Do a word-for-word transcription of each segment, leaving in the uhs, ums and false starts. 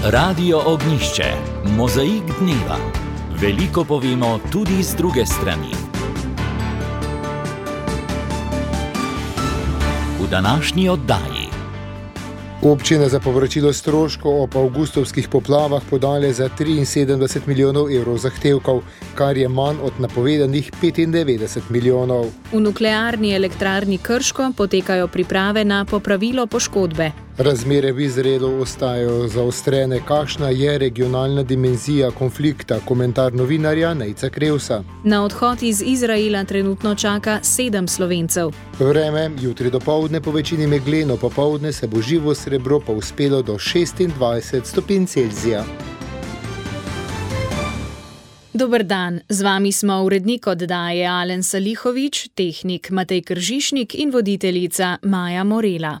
Radio Ognjišče, mozaik dneva. Veliko povemo tudi z druge strani. V današnji oddaji. Občine za povračilo stroškov ob avgustovskih poplavah podale za triinsedemdeset milijonov evrov zahtevkov, kar je manj od napovedanih petindevetdeset milijonov. V nuklearni elektrarni Krško potekajo priprave na popravilo poškodbe. Razmere v Izraelu ostajajo zaostrene. Kakšna je regionalna dimenzija konflikta? Komentar novinarja Nejca Krevsa. Na odhod iz Izraela trenutno čaka sedem Slovencev. Vreme, jutri dopoldne po večini megleno, popoldne se bo živo srebro pa uspelo do šestindvajset stopinj Celzija. Dober dan, z vami smo urednik oddaje Alen Salihovič, tehnik Matej Kržišnik in voditeljica Maja Morela.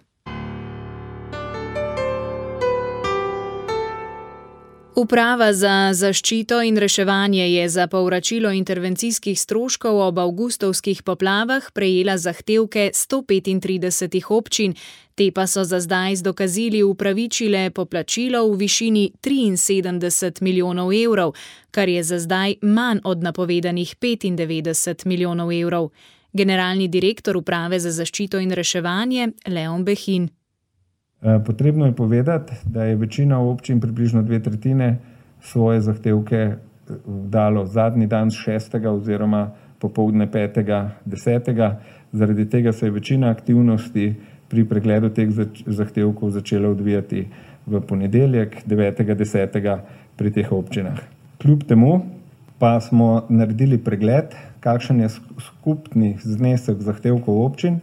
Uprava za zaščito in reševanje je za povračilo intervencijskih stroškov ob avgustovskih poplavah prejela zahtevke sto petintrideset občin, te pa so za zdaj z dokazili upravičile poplačilo v višini triinsedemdeset milijonov evrov, kar je za zdaj manj od napovedanih petindevetdeset milijonov evrov. Generalni direktor Uprave za zaščito in reševanje Leon Behin. Potrebno je povedati, da je večina občin, približno dve tretjine, svoje zahtevke dalo zadnji dan šestega oziroma popoldne petega desetega. Zaradi tega se je večina aktivnosti pri pregledu teh zahtevkov začela odvijati v ponedeljek devetega desetega pri teh občinah. Kljub temu pa smo naredili pregled, kakšen je skupni znesek zahtevkov občin.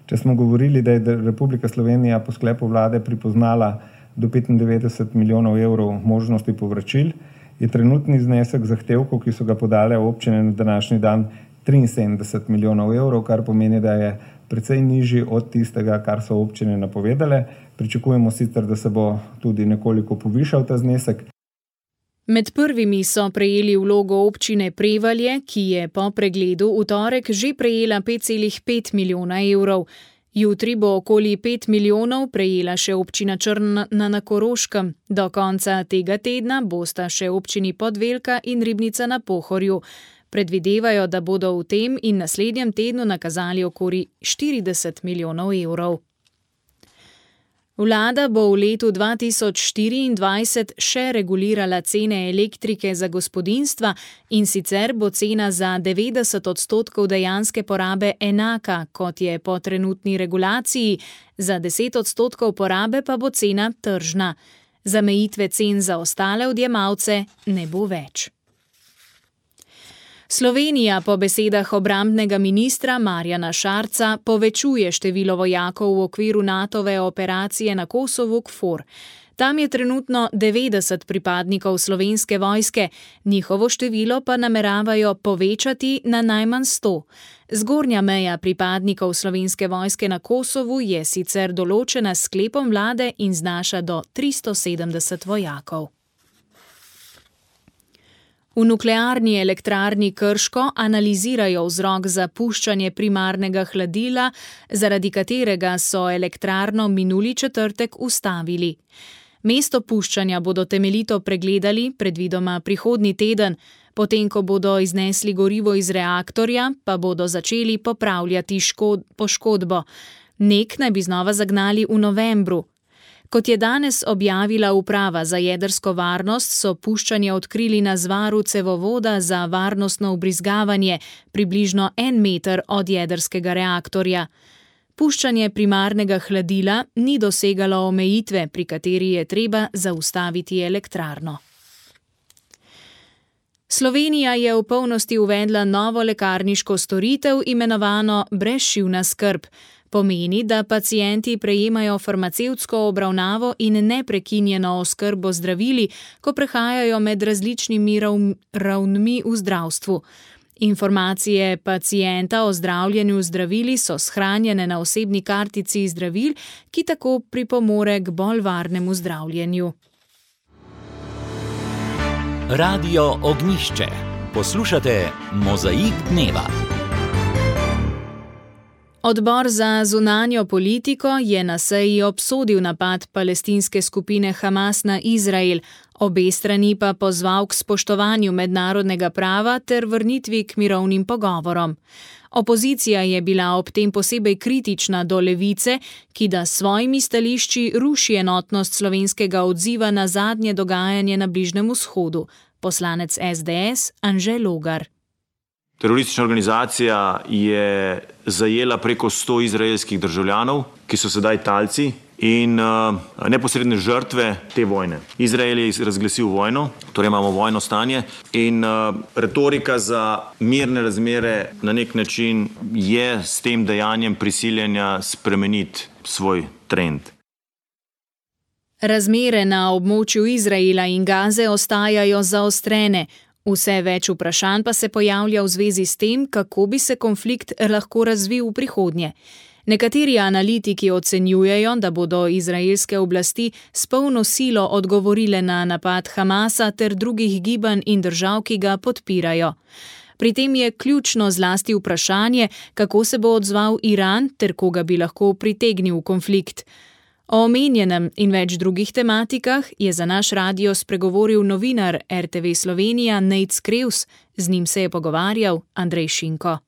Če smo govorili, da je Republika Slovenija po sklepu vlade pripoznala do petindevetdeset milijonov evrov možnosti povračil, je trenutni znesek zahtevkov, ki so ga podale občine na današnji dan, triinsedemdeset milijonov evrov, kar pomeni, da je precej nižji od tistega, kar so občine napovedale. Pričakujemo sicer, da se bo tudi nekoliko povišal ta znesek. Med prvimi so prejeli vlogo občine Prevalje, ki je po pregledu v torek že prejela pet celih pet milijona evrov. Jutri bo okoli pet milijonov prejela še občina Črna na Koroškem. Do konca tega tedna bosta še občini Podvelka in Ribnica na Pohorju. Predvidevajo, da bodo v tem in naslednjem tednu nakazali okoli štirideset milijonov evrov. Vlada bo v letu dva tisoč štiriindvajset še regulirala cene elektrike za gospodinjstva, in sicer bo cena za devetdeset odstotkov dejanske porabe enaka, kot je po trenutni regulaciji, za deset odstotkov porabe pa bo cena tržna. Zamejitve cen za ostale odjemalce ne bo več. Slovenija po besedah obrambnega ministra Marjana Šarca povečuje število vojakov v okviru Natove operacije na Kosovu K F O R. Tam je trenutno devetdeset pripadnikov Slovenske vojske, njihovo število pa nameravajo povečati na najmanj sto. Zgornja meja pripadnikov Slovenske vojske na Kosovu je sicer določena s sklepom vlade in znaša do tristo sedemdeset vojakov. V nuklearni elektrarni Krško analizirajo vzrok za puščanje primarnega hladila, zaradi katerega so elektrarno minuli četrtek ustavili. Mesto puščanja bodo temeljito pregledali, predvidoma prihodnji teden, potem ko bodo iznesli gorivo iz reaktorja, pa bodo začeli popravljati škod, poškodbo. N E K naj bi znova zagnali v novembru. Kot je danes objavila Uprava za jedrsko varnost, so puščanje odkrili na zvaru cevovoda za varnostno vbrizgavanje, približno en meter od jedrskega reaktorja. Puščanje primarnega hladila ni dosegalo omejitve, pri kateri je treba zaustaviti elektrarno. Slovenija je v polnosti uvedla novo lekarniško storitev, imenovano brezšivna skrb. Pomeni, da pacienti prejemajo farmacevtsko obravnavo in neprekinjeno oskrbo zdravili, ko prehajajo med različnimi ravnmi v zdravstvu. Informacije pacienta o zdravljenju zdravili so shranjene na osebni kartici zdravil, ki tako pripomore k bolj varnemu zdravljenju. Radio Ognjišče. Poslušate Mozaik dneva. Odbor za zunanjo politiko je na seji obsodil napad palestinske skupine Hamas na Izrael, obe strani pa pozval k spoštovanju mednarodnega prava ter vrnitvi k mirovnim pogovorom. Opozicija je bila ob tem posebej kritična do Levice, ki da s svojimi stališči ruši enotnost slovenskega odziva na zadnje dogajanje na Bližnjem vzhodu. Poslanec S D S Anže Logar. Teroristična organizacija je zajela preko sto izraelskih državljanov, ki so sedaj talci in uh, neposredne žrtve te vojne. Izrael je razglasil vojno, torej imamo vojno stanje in uh, retorika za mirne razmere na nek način je s tem dejanjem prisiljanja spremeniti svoj trend. Razmere na območju Izraela in Gaze ostajajo zaostrene. Vse več vprašanj pa se pojavlja v zvezi s tem, kako bi se konflikt lahko razvil v prihodnje. Nekateri analitiki ocenjujejo, da bodo izraelske oblasti s polno silo odgovorile na napad Hamasa ter drugih gibanj in držav, ki ga podpirajo. Pri tem je ključno zlasti vprašanje, kako se bo odzval Iran ter koga bi lahko pritegnil v konflikt. O omenjenem in več drugih tematikah je za naš radio spregovoril novinar R T V Slovenija Nejc Krevs, z njim se je pogovarjal Andrej Šinko.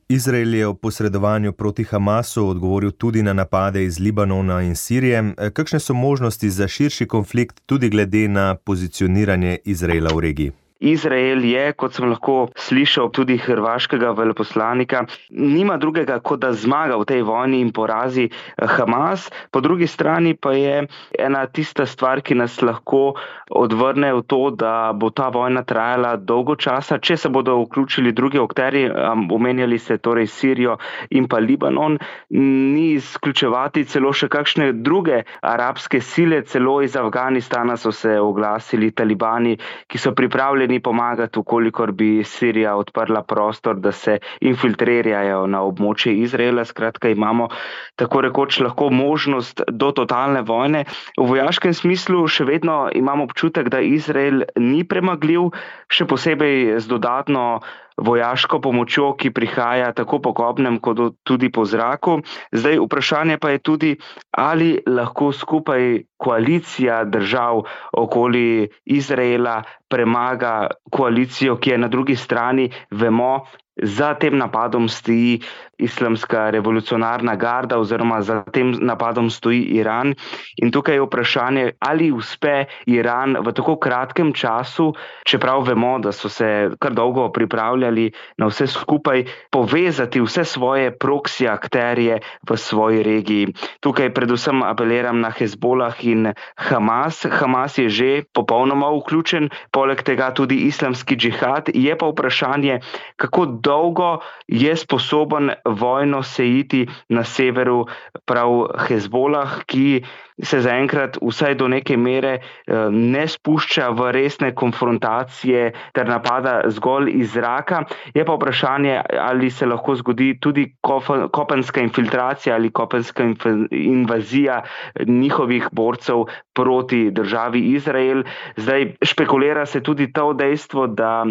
Izrael je o posredovanju proti Hamasu odgovoril tudi na napade iz Libanona in Sirije. Kakšne so možnosti za širši konflikt tudi glede na pozicioniranje Izraela v regiji? Izrael je, kot sem lahko slišal tudi hrvaškega veleposlanika, nima drugega, kot da zmaga v tej vojni in porazi Hamas. Po drugi strani pa je ena tista stvar, ki nas lahko odvrne v to, da bo ta vojna trajala dolgo časa, če se bodo vključili drugi akterji, omenjali se torej Sirijo in pa Libanon, ni izključevati celo še kakšne druge arabske sile, celo iz Afganistana so se oglasili talibani, ki so pripravljeni ni pomagati, ukolikor bi Sirija odprla prostor, da se infiltrirajo na območje Izraela. Skratka, imamo tako rekoč lahko možnost do totalne vojne. V vojaškem smislu še vedno imamo občutek, da Izrael ni premagljiv, še posebej z dodatno vojaško pomočjo, ki prihaja tako po kopnem, kot tudi po zraku. Zdaj, vprašanje pa je tudi, ali lahko skupaj koalicija držav okoli Izraela premaga koalicijo, ki je na drugi strani, vemo, za tem napadom stoji Islamska revolucionarna garda oziroma za tem napadom stoji Iran. In tukaj je vprašanje, ali uspe Iran v tako kratkem času, čeprav vemo, da so se kar dolgo pripravljali na vse skupaj, povezati vse svoje proksi akterje v svoji regiji. Tukaj predvsem apeliram na Hezbolah in Hamas. Hamas je že popolnoma vključen, poleg tega tudi islamski džihad. Je pa vprašanje, kako dolgo je sposoben vojno sejiti na severu prav Hezbolah, ki se zaenkrat vsaj do neke mere ne spušča v resne konfrontacije ter napada zgolj iz zraka. Je pa vprašanje, ali se lahko zgodi tudi kopenska infiltracija ali kopenska invazija njihovih borcev proti državi Izrael. Zdaj špekulira se tudi to dejstvo, da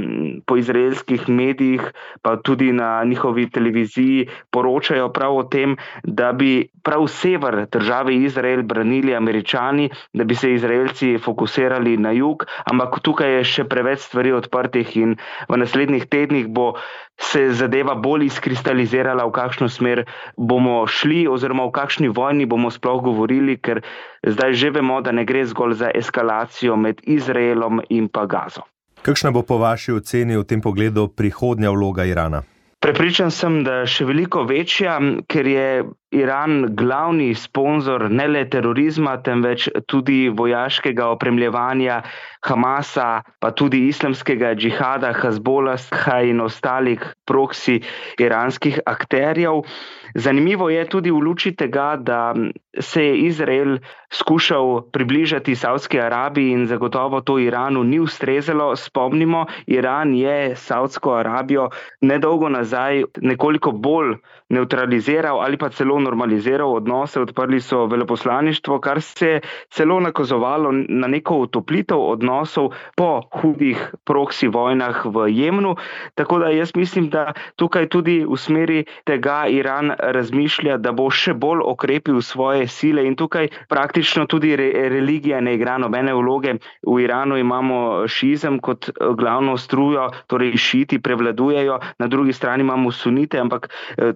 po izraelskih medijih, pa tudi na njihovi televiziji poročajo prav o tem, da bi prav sever države Izrael branili Američani, da bi se Izraelci fokusirali na jug, ampak tukaj je še preveč stvari odprtih in v naslednjih tednih bo se zadeva bolj izkristalizirala, v kakšno smer bomo šli oziroma v kakšni vojni bomo sploh govorili, ker zdaj že vemo, da ne gre zgolj za eskalacijo med Izraelom in pa Gazo. Kakšna bo po vaši oceni v tem pogledu prihodnja vloga Irana? Prepričan sem, da še veliko večja, ker je Iran glavni sponzor ne le terorizma, temveč tudi vojaškega opremljevanja Hamasa, pa tudi islamskega džihada, Hezbolaha in ostalih proksi iranskih akterjev. Zanimivo je tudi v luči tega, da se je Izrael skušal približati Savdski Arabiji in zagotovo to Iranu ni ustrezalo. Spomnimo, Iran je Savdsko Arabijo nedolgo nazaj nekoliko bolj nevtraliziral ali pa celo zelo normaliziral odnose, odprli so veleposlaništvo, kar se je celo nakazovalo na neko utoplitev odnosov po hudih proksi vojnah v Jemnu. Tako da jaz mislim, da tukaj tudi v smeri tega Iran razmišlja, da bo še bolj okrepil svoje sile in tukaj praktično tudi re, religija ne igra nobene vloge. V Iranu imamo šiizem kot glavno strujo, torej šiiti prevladujejo, na drugi strani imamo sunite, ampak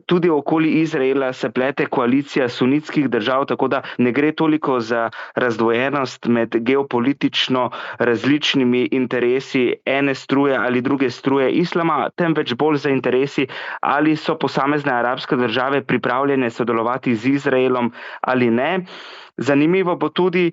tudi okoli Izraela se plete koalicija sunitskih držav, tako da ne gre toliko za razdvojenost med geopolitično različnimi interesi ene struje ali druge struje islama, temveč bolj za interesi, ali so posamezne arabske države pripravljene sodelovati z Izraelom ali ne. Zanimivo bo tudi,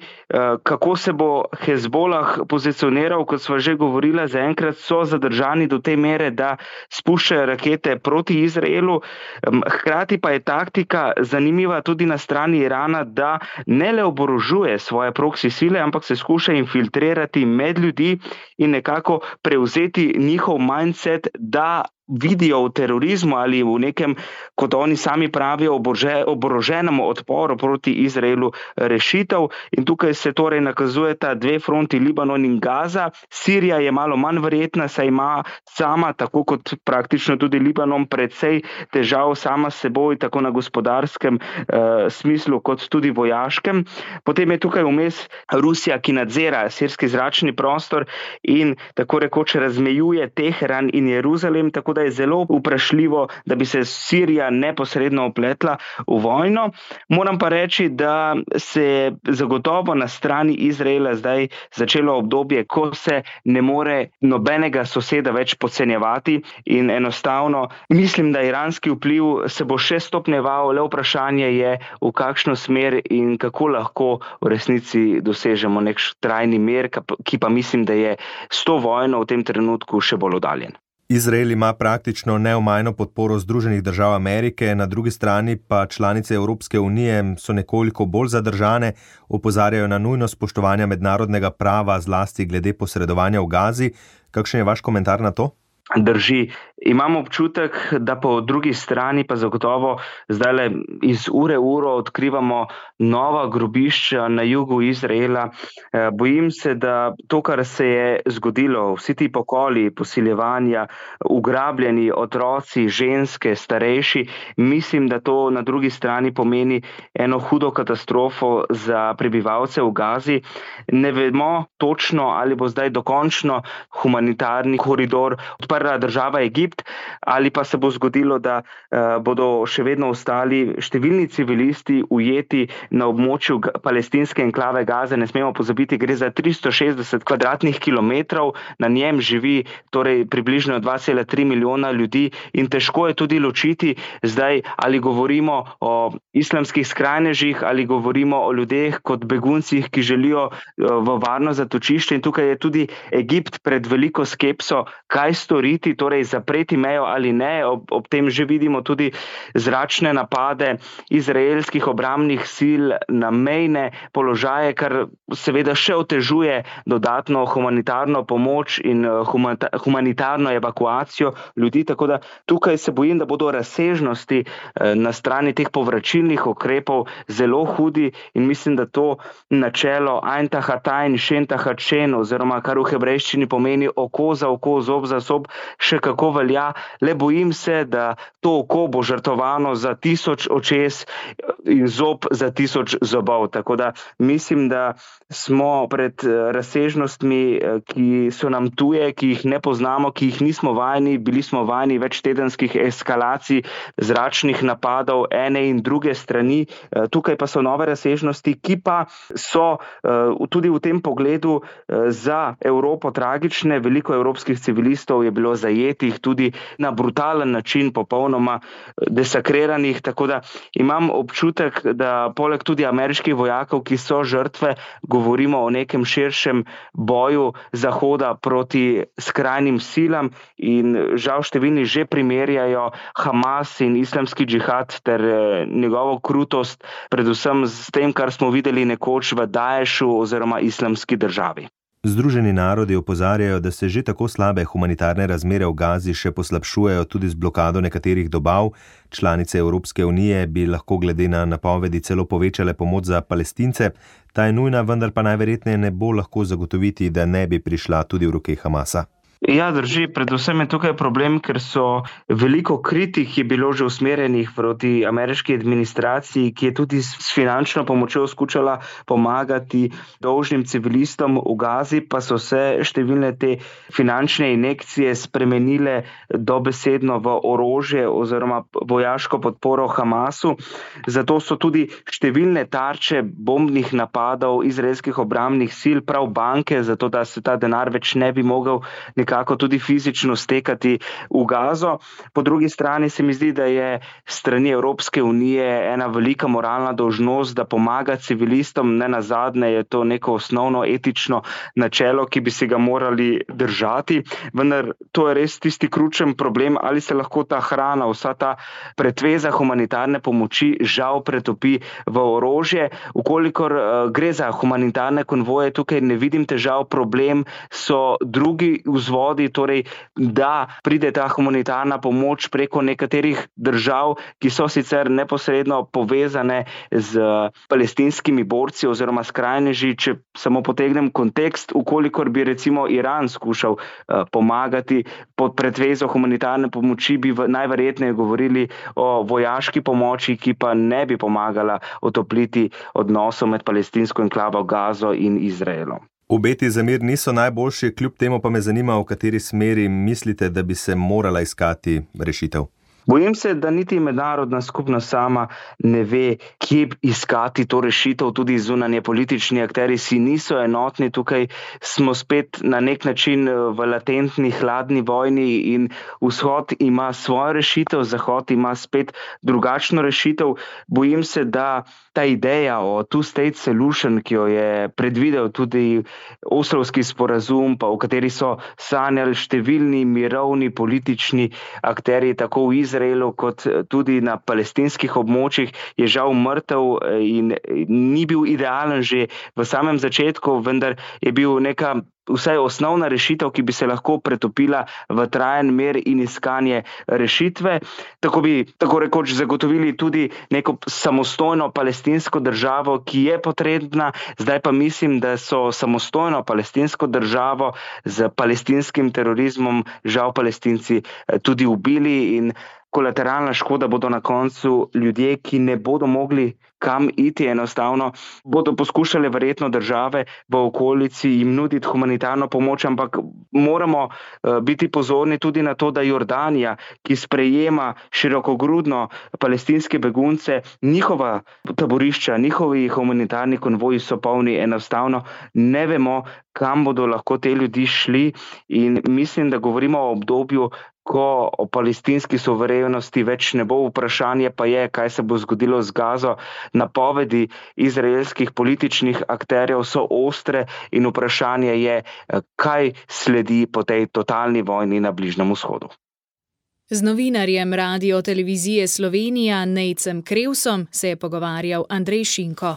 kako se bo Hezbolah pozicioniral, kot sva že govorila, zaenkrat so zadržani do te mere, da spuščajo rakete proti Izraelu. Hkrati pa je taktika zanimiva tudi na strani Irana, da ne le oborožuje svoje proksi sile, ampak se skuša infiltrirati med ljudi in nekako prevzeti njihov mindset, da vidijo v terorizmu ali v nekem, kot oni sami pravijo, oboroženem odporu proti Izraelu rešitev. In tukaj se torej nakazujeta dve fronti, Libanon in Gaza. Sirija je malo manj verjetna, saj ima sama, tako kot praktično tudi Libanon, precej težav sama s seboj, tako na gospodarskem eh, smislu, kot tudi vojaškem. Potem je tukaj vmes Rusija, ki nadzira sirski zračni prostor in tako rekoč razmejuje Teheran in Jeruzalem, tako da je zelo vprašljivo, da bi se Sirija neposredno opletla v vojno. Moram pa reči, da se je zagotovo na strani Izraela zdaj začelo obdobje, ko se ne more nobenega soseda več podcenjevati in enostavno mislim, da iranski vpliv se bo še stopnjeval, le vprašanje je, v kakšno smer in kako lahko v resnici dosežemo nek trajni mir, ki pa mislim, da je s to vojno v tem trenutku še bolj oddaljen. Izrael ima praktično neomajno podporo Združenih držav Amerike, na drugi strani pa članice Evropske unije so nekoliko bolj zadržane, opozarjajo na nujnost spoštovanja mednarodnega prava, zlasti glede posredovanja v Gazi. Kakšen je vaš komentar na to? Drži. Imam občutek, da po drugi strani pa zagotovo zdajle iz ure v uro odkrivamo nova grobišča na jugu Izraela. Bojim se, da to, kar se je zgodilo, vsi ti pokoli, posiljevanja, ugrabljeni otroci, ženske, starejši, mislim, da to na drugi strani pomeni eno hudo katastrofo za prebivalce v Gazi. Ne vemo točno, ali bo zdaj dokončno humanitarni koridor odprla država Egipt, ali pa se bo zgodilo, da uh, bodo še vedno ostali številni civilisti ujeti na območju palestinske enklave Gaze. Ne smemo pozabiti, gre za tristo šestdeset kvadratnih kilometrov, na njem živi torej približno dva cela tri milijona ljudi in težko je tudi ločiti zdaj, ali govorimo o islamskih skrajnežih, ali govorimo o ljudeh kot beguncih, ki želijo uh, v varno zatočišče. In tukaj je tudi Egipt pred veliko skepso, kaj storiti, torej zapreti mejo ali ne. Ob, ob tem že vidimo tudi zračne napade izraelskih obrambnih sil na mejne položaje, kar seveda še otežuje dodatno humanitarno pomoč in humata, humanitarno evakuacijo ljudi. Tako da tukaj se bojim, da bodo razsežnosti na strani teh povračilnih ukrepov zelo hudi in mislim, da to načelo Ein Tachat Ein, Shen Tachat Shen, oziroma kar v hebrejščini pomeni oko za oko, zob za zob, še kako velja. Le bojim se, da to oko bo žrtovano za tisoč očes in zob za tisoč zobov. Tako da mislim, da smo pred razsežnostmi, ki so nam tuje, ki jih ne poznamo, ki jih nismo vajeni. Bili smo vajeni večtedenskih eskalacij zračnih napadov ene in druge strani. Tukaj pa so nove razsežnosti, ki pa so tudi v tem pogledu za Evropo tragične. Veliko evropskih civilistov je bilo zajetih tudi na brutalen način, popolnoma desakriranih, tako da imam občutek, da poleg tudi ameriških vojakov, ki so žrtve, govorimo o nekem širšem boju Zahoda proti skrajnim silam in žal številni že primerjajo Hamas in islamski džihad ter njegovo krutost, predvsem s tem, kar smo videli nekoč v Daešu oziroma islamski državi. Združeni narodi opozarjajo, da se že tako slabe humanitarne razmere v Gazi še poslabšujejo tudi z blokado nekaterih dobav. Članice Evropske unije bi lahko glede na napovedi celo povečale pomoč za Palestince. Ta je nujna, vendar pa najverjetneje ne bo lahko zagotoviti, da ne bi prišla tudi v roke Hamasa. Ja, drži. Predvsem je tukaj problem, ker so veliko kritik je bilo že usmerjenih proti ameriški administraciji, ki je tudi s finančno pomočjo skušala pomagati dolžnim civilistom v Gazi, pa so se številne te finančne injekcije spremenile dobesedno v orožje oziroma vojaško podporo Hamasu. Zato so tudi številne tarče bombnih napadov izraelskih obrambnih sil, prav banke, zato da se ta denar več ne bi mogel nekako tudi fizično stekati v Gazo. Po drugi strani se mi zdi, da je strani Evropske unije ena velika moralna dolžnost, da pomaga civilistom. Ne nazadnje je to neko osnovno etično načelo, ki bi se ga morali držati. Vendar to je res tisti ključen problem, ali se lahko ta hrana, vsa ta pretveza humanitarne pomoči žal pretopi v orožje. Ukolikor uh, gre za humanitarne konvoje, tukaj ne vidim težav. Problem so drugi vzvodi, torej da pride ta humanitarna pomoč preko nekaterih držav, ki so sicer neposredno povezane z palestinskimi borci oziroma skrajneži. Če samo potegnem kontekst, ukolikor bi recimo Iran skušal uh, pomagati pod pretvezo humanitarne pomoči, bi v, najverjetneje govorili o vojaški pomoči, ki pa ne bi pomagala otopliti odnosov med palestinsko enklavo Gazo in Izraelom. Obeti za mir niso najboljši, kljub temu pa me zanima, v kateri smeri mislite, da bi se morala iskati rešitev. Bojim se, da niti mednarodna skupnost sama ne ve, kje iskati to rešitev, tudi zunanje politični akteri si niso enotni. Tukaj smo spet na nek način v latentni hladni vojni in vzhod ima svojo rešitev, zahod ima spet drugačno rešitev. Bojim se, da ta ideja o two-state solution, ki jo je predvidel tudi Oslovski sporazum, pa v kateri so sanjali številni mirovni politični akteri, tako v Izraelu kot tudi na palestinskih območjih, je žal mrtev in ni bil idealen že v samem začetku, vendar je bil neka vsaj osnovna rešitev, ki bi se lahko pretopila v trajen mir in iskanje rešitve. Tako bi tako rekoč zagotovili tudi neko samostojno palestinsko državo, ki je potrebna. Zdaj pa mislim, da so samostojno palestinsko državo z palestinskim terorizmom žal Palestinci tudi ubili in kolateralna škoda bodo na koncu ljudje, ki ne bodo mogli kam iti, enostavno bodo poskušali verjetno države v okolici jim nuditi humanitarno pomoč, ampak moramo uh, biti pozorni tudi na to, da Jordanija, ki sprejema širokogrudno palestinske begunce, njihova taborišča, njihovi humanitarni konvoji so polni, enostavno ne vemo, kam bodo lahko te ljudi šli in mislim, da govorimo o obdobju, ko o palestinski suverenosti več ne bo. Vprašanje pa je, kaj se bo zgodilo z Gazo. Napovedi izraelskih političnih akterjev so ostre in vprašanje je, kaj sledi po tej totalni vojni na Bližnjem vzhodu. Z novinarjem Radio-televizije Slovenija Nejcem Krevsom se je pogovarjal Andrej Šinko.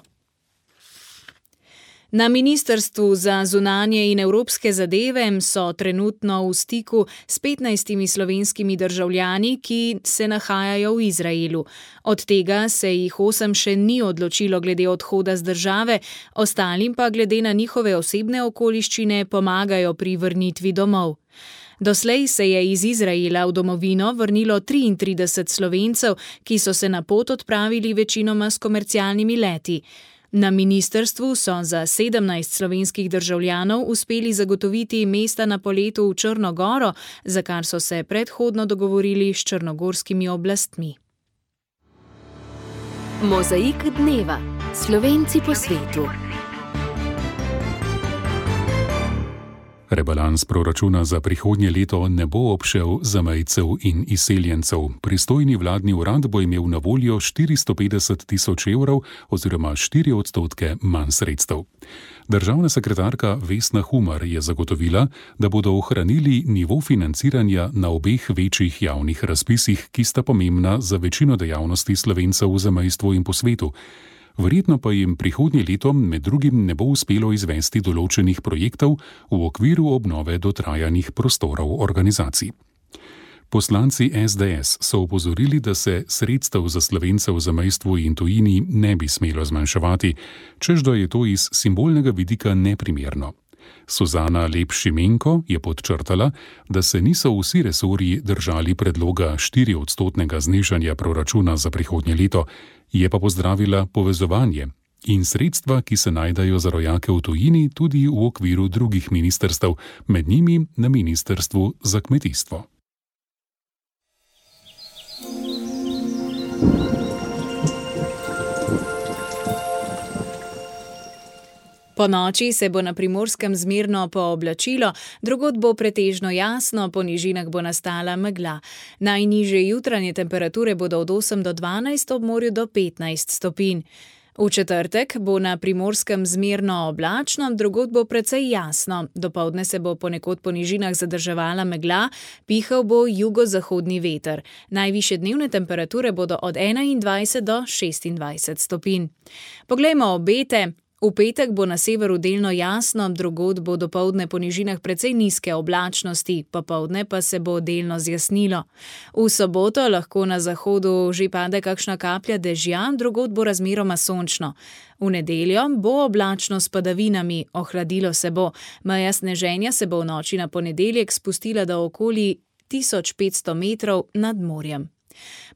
Na Ministrstvu za zunanje in evropske zadeve so trenutno v stiku s petnajstimi slovenskimi državljani, ki se nahajajo v Izraelu. Od tega se jih osem še ni odločilo glede odhoda z države, ostalim pa glede na njihove osebne okoliščine pomagajo pri vrnitvi domov. Doslej se je iz Izraela v domovino vrnilo triintrideset Slovencev, ki so se na pot odpravili večinoma s komercialnimi leti. Na ministrstvu so za sedemnajst slovenskih državljanov uspeli zagotoviti mesta na poletu v Črno goro, za kar so se predhodno dogovorili s črnogorskimi oblastmi. Mozaik dneva. Slovenci po svetu. Rebalans proračuna za prihodnje leto ne bo obšel zamejcev in izseljencev. Pristojni vladni urad bo imel na voljo štiristo petdeset tisoč evrov oziroma štiri odstotke manj sredstev. Državna sekretarka Vesna Humar je zagotovila, da bodo ohranili nivo financiranja na obeh večjih javnih razpisih, ki sta pomembna za večino dejavnosti Slovencev v zamejstvu in po svetu. Verjetno pa jim prihodnje leto med drugim ne bo uspelo izvesti določenih projektov v okviru obnove dotrajanih prostorov organizacij. Poslanci es de es so opozorili, da se sredstev za Slovence v zamejstvu in tujini ne bi smelo zmanjševati, čež da je to iz simbolnega vidika neprimerno. Suzana Lep-Šimenko je podčrtala, da se niso vsi resorji držali predloga štiriodstotnega znižanja proračuna za prihodnje leto, je pa pozdravila povezovanje in sredstva, ki se najdejo za rojake v tujini tudi v okviru drugih ministrstev, med njimi na Ministrstvu za kmetijstvo. Po noči se bo na Primorskem zmerno pooblačilo, drugod bo pretežno jasno, po nižinah bo nastala megla. Najnižje jutranje temperature bodo od osem do dvanajst, ob morju do petnajst stopinj. V četrtek bo na Primorskem zmerno oblačno, drugod bo precej jasno. Dopoldne se bo ponekod po nižinah zadrževala megla, pihal bo jugozahodni veter. Najvišje dnevne temperature bodo od enaindvajset do šestindvajset stopinj. Poglejmo obete. V petek bo na severu delno jasno, drugod bo dopoldne po nižinah precej nizke oblačnosti, popoldne pa se bo delno zjasnilo. V soboto lahko na zahodu že pade kakšna kaplja dežja, drugod bo razmeroma sončno. V nedeljo bo oblačno s padavinami, ohladilo se bo. Meja sneženja se bo v noči na ponedeljek spustila do okoli tisoč petsto metrov nad morjem.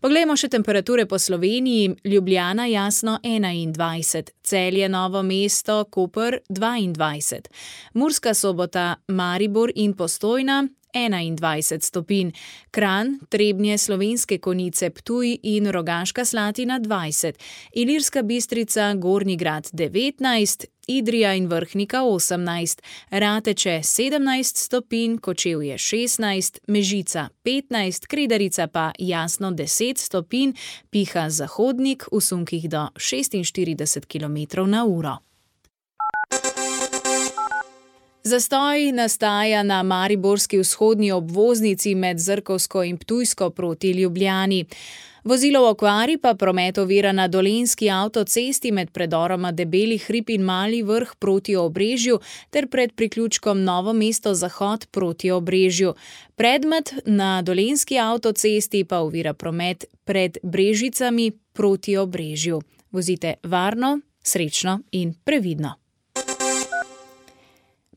Poglejmo še temperature po Sloveniji. Ljubljana jasno enaindvajset, Celje, Novo mesto, Koper dvaindvajset, Murska Sobota, Maribor in Postojna enaindvajset stopinj, Kranj, Trebnje, Slovenske Konjice, Ptuj in Rogaška Slatina dvajset, Ilirska Bistrica, Gornji Grad devetnajst, Idrija in Vrhnika osemnajst, Rateče sedemnajst stopinj, Kočevje šestnajst, Mežica petnajst, Kredarica pa jasno deset stopinj, piha zahodnik v sunkih do šestinštirideset kilometrov na uro. Zastoj nastaja na mariborski vzhodni obvoznici med Zrkovsko in Ptujsko proti Ljubljani. Vozilo v okvari pa promet ovira na Dolenjski avtocesti med predoroma Debeli hrib in Mali Vrh proti Obrežju ter pred priključkom Novo mesto Zahod proti Obrežju. Predmet na Dolenjski avtocesti pa ovira promet pred Brežicami proti Obrežju. Vozite varno, srečno in previdno.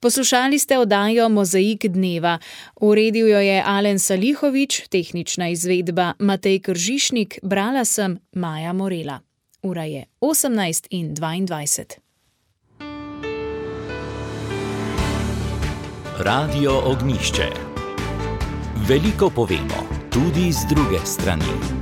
Poslušali ste oddajo Mozaik dneva. Uredil jo je Alen Salihovič, tehnična izvedba Matej Kržišnik, brala sem Maja Morela. Ura je osemnajst in dvaindvajset. Radio Ognjišče. Veliko povemo, tudi z druge strani.